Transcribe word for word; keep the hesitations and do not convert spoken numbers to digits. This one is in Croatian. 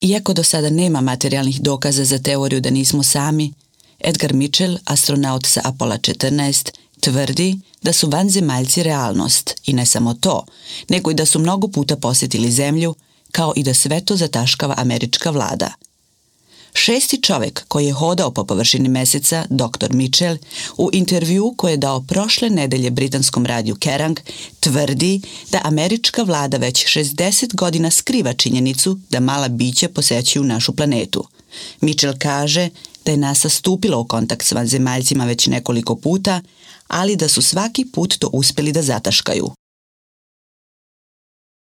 Iako do sada nema materijalnih dokaza za teoriju da nismo sami, Edgar Mitchell, astronaut sa Apola četrnaest, tvrdi da su vanzemaljci realnost i ne samo to, nego i da su mnogo puta posjetili Zemlju, kao i da sve to zataškava američka vlada. Šesti čovjek koji je hodao po površini Meseca, doktor Mitchell, u intervju koji je dao prošle nedelje britanskom radiju Kerrang, tvrdi da američka vlada već šezdeset godina skriva činjenicu da mala bića posećuju našu planetu. Mitchell kaže da je NASA stupila u kontakt s vanzemaljcima već nekoliko puta, ali da su svaki put to uspjeli da zataškaju.